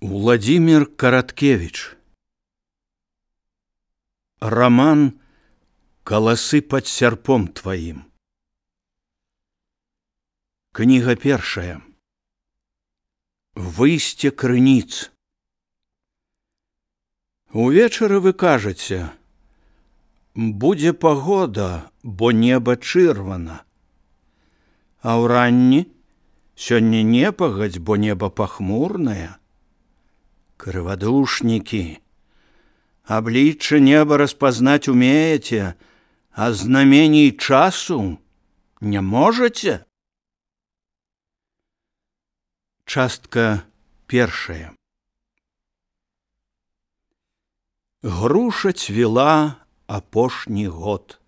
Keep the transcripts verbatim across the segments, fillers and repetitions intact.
Владимир Караткевич. Роман «Коласы под серпом твоим». Книга першая. Выйсце крыніц. Увечары вы кажаце: будзе пагода, бо неба чырвана. А ўранні: сёння не пагадзь, бо неба пахмурнае. Крывадушнікі, аблічча неба распазнаць умееце, а знамений часу не можаце? Частка першая. Груша цвела апошні год.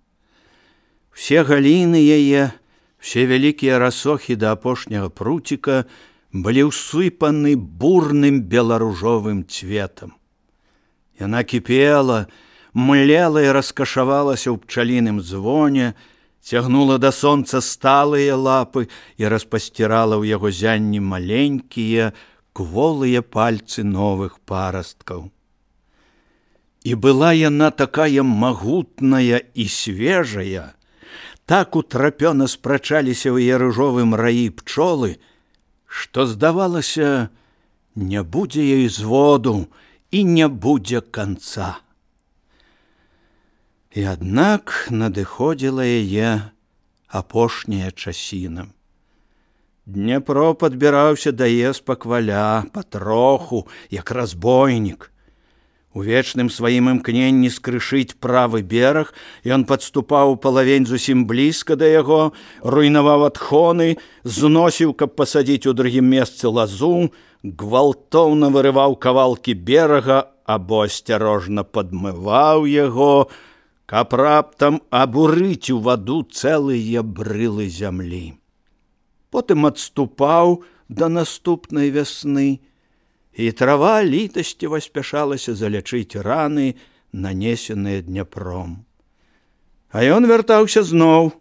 Все галіны яе, все вялікія расохі да апошняга пруціка былі ўсыпаны бурным беларужовым цветам. Яна кіпела, млела і раскашавалася ў пчаліным звоне, цягнула да сонца сталыя лапы і распасцірала ў яго зянні маленькія, кволыя пальцы новых парасткаў. І была яна такая магутная і свежая, так утрапёна спрачаліся ў яе ружовым раі пчолы, што, здавалася, не будзе ёй зводу і не будзе канца. І аднак надыходзіла яе апошняя часіна. Дняпро падбіраўся да яе спакваля, патроху, як разбойнік. У вечным сваім імкненні скрышыць правы бераг ён падступаў палавень зусім блізка да яго, руйнаваў адхоны, зносіў, каб пасадзіць у другім месцы лазу, гвалтоўна вырываў кавалкі берага або асцярожна падмываў яго, каб раптам абурыць у ваду цэлыя брылы зямлі. Потым адступаў да наступнай вясны, і трава літасціва спяшалася залячыць раны, нанесеныя Дняпром. А ён вяртаўся зноў,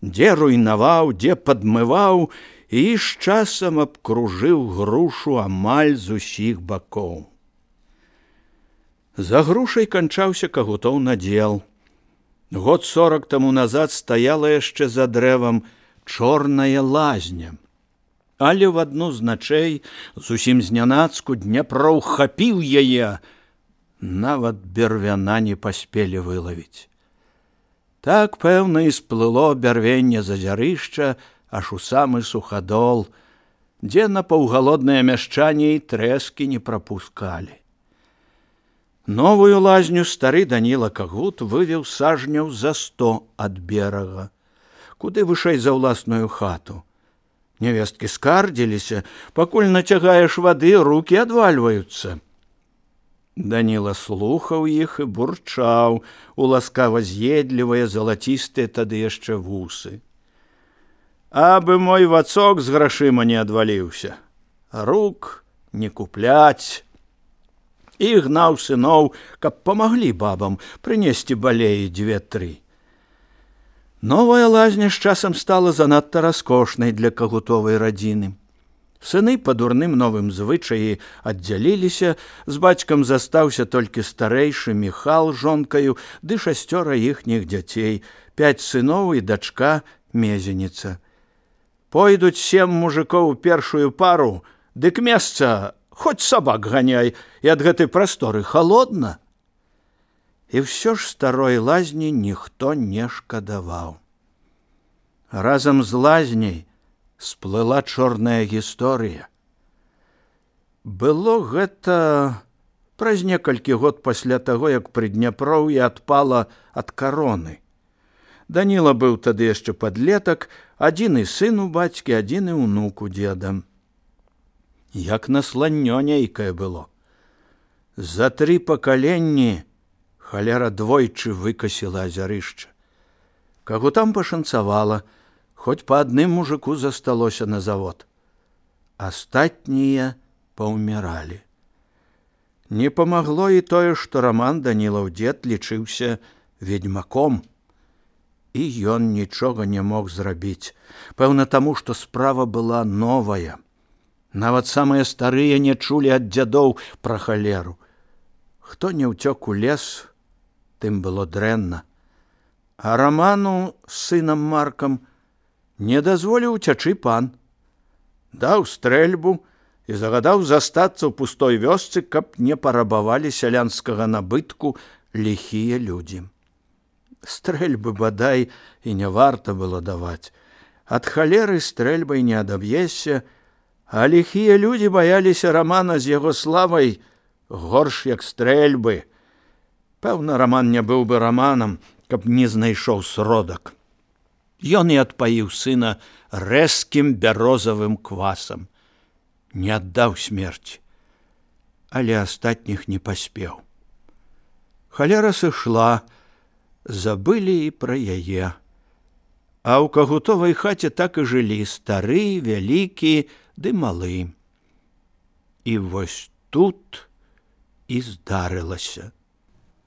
дзе руйнаваў, дзе падмываў, і з часам абкружыў грушу амаль з усіх бакоў. За грушай канчаўся кагутоў надзел. Год сорак таму назад стаяла яшчэ за дрэвам чорная лазня. Але в адну з начэй, зусім знянацку, Дняпро ўхапіў яе, нават бервяна не паспелі вылавіць. Так, пэўна, і сплыло бярвенне з азярышча аж у самы сухадол, дзе на паўгалодныя мяшчане і трэскі не прапускалі. Новую лазню стары Даніла Кагут вывеў сажняў за сто ад берага, куды вышэй за ўласную хату. Невесткі скардзіліся, пакуль нацягаеш вады, рукі адвальваюцца. Даніла слухаў іх і бурчаў у ласкава з'едлівыя залацістыя тады яшчэ вусы. Абы мой вацок з грашыма не адваліўся, рук не купляць. І гнаў сыноў, каб памаглі бабам прынесці балеі дзве-тры. Новая лазня з часам стала занадта раскошнай для кагутовай радзіны. Сыны па дурным новым звычаі аддзяліліся, з бацькам застаўся толькі старэйшы Міхал з жонкаю ды шасцёра іхніх дзяцей, пяць сыноў і дачка Мезеніца. Пойдуць сем мужикоў у першую пару, дык месца хоць сабак ганяй, і ад гэтай прасторы халодна. І ўсё ж старой лазні ніхто не шкадаваў. Разам з лазняй сплыла чорная гісторыя. Было гэта праз некалькі год пасля таго, як пры Дняпроўі адпала ад кароны. Даніла быў тады яшчэ падлетак, адзіны сын у бацькі, адзіны ўнук у дзеда. Як насланнё нейкае было. За тры пакаленні халера двойчы выкасіла азярышча. Кагутам пашанцавала, хоць па адным мужику засталося на завод. Астатнія паўміралі. Не памагло і тое, што Раман Данілаў дзед лічыўся ведьмаком. І ён нічога не мог зрабіць, пэўна таму, што справа была новая. Нават самыя старыя не чулі ад дзядоў пра халеру. Хто не ўцёк у лес, тым было дрэнна. А Раману з сынам Маркам не дазволіў уцячы пан. Даў стрэльбу і загадаў застацца ў пустой вёсцы, каб не парабавалі сялянскага набытку ліхія людзі. Стрэльбы, бадай, і не варта было даваць. Ад халеры стрэльбай не адаб'ешся, а ліхія людзі баяліся Рамана з яго славай горш, як стрэльбы. Пэўна, Раман не быў бы Раманам, каб не знайшоў сродак. Ён і адпаіў сына рэзкім бярозавым квасам. Не аддаў смерці, але астатніх не паспеў. Халера сышла, забылі і пра яе. А ў кагутовай хаце так і жылі стары, вялікі ды малы. І вось тут і здарылася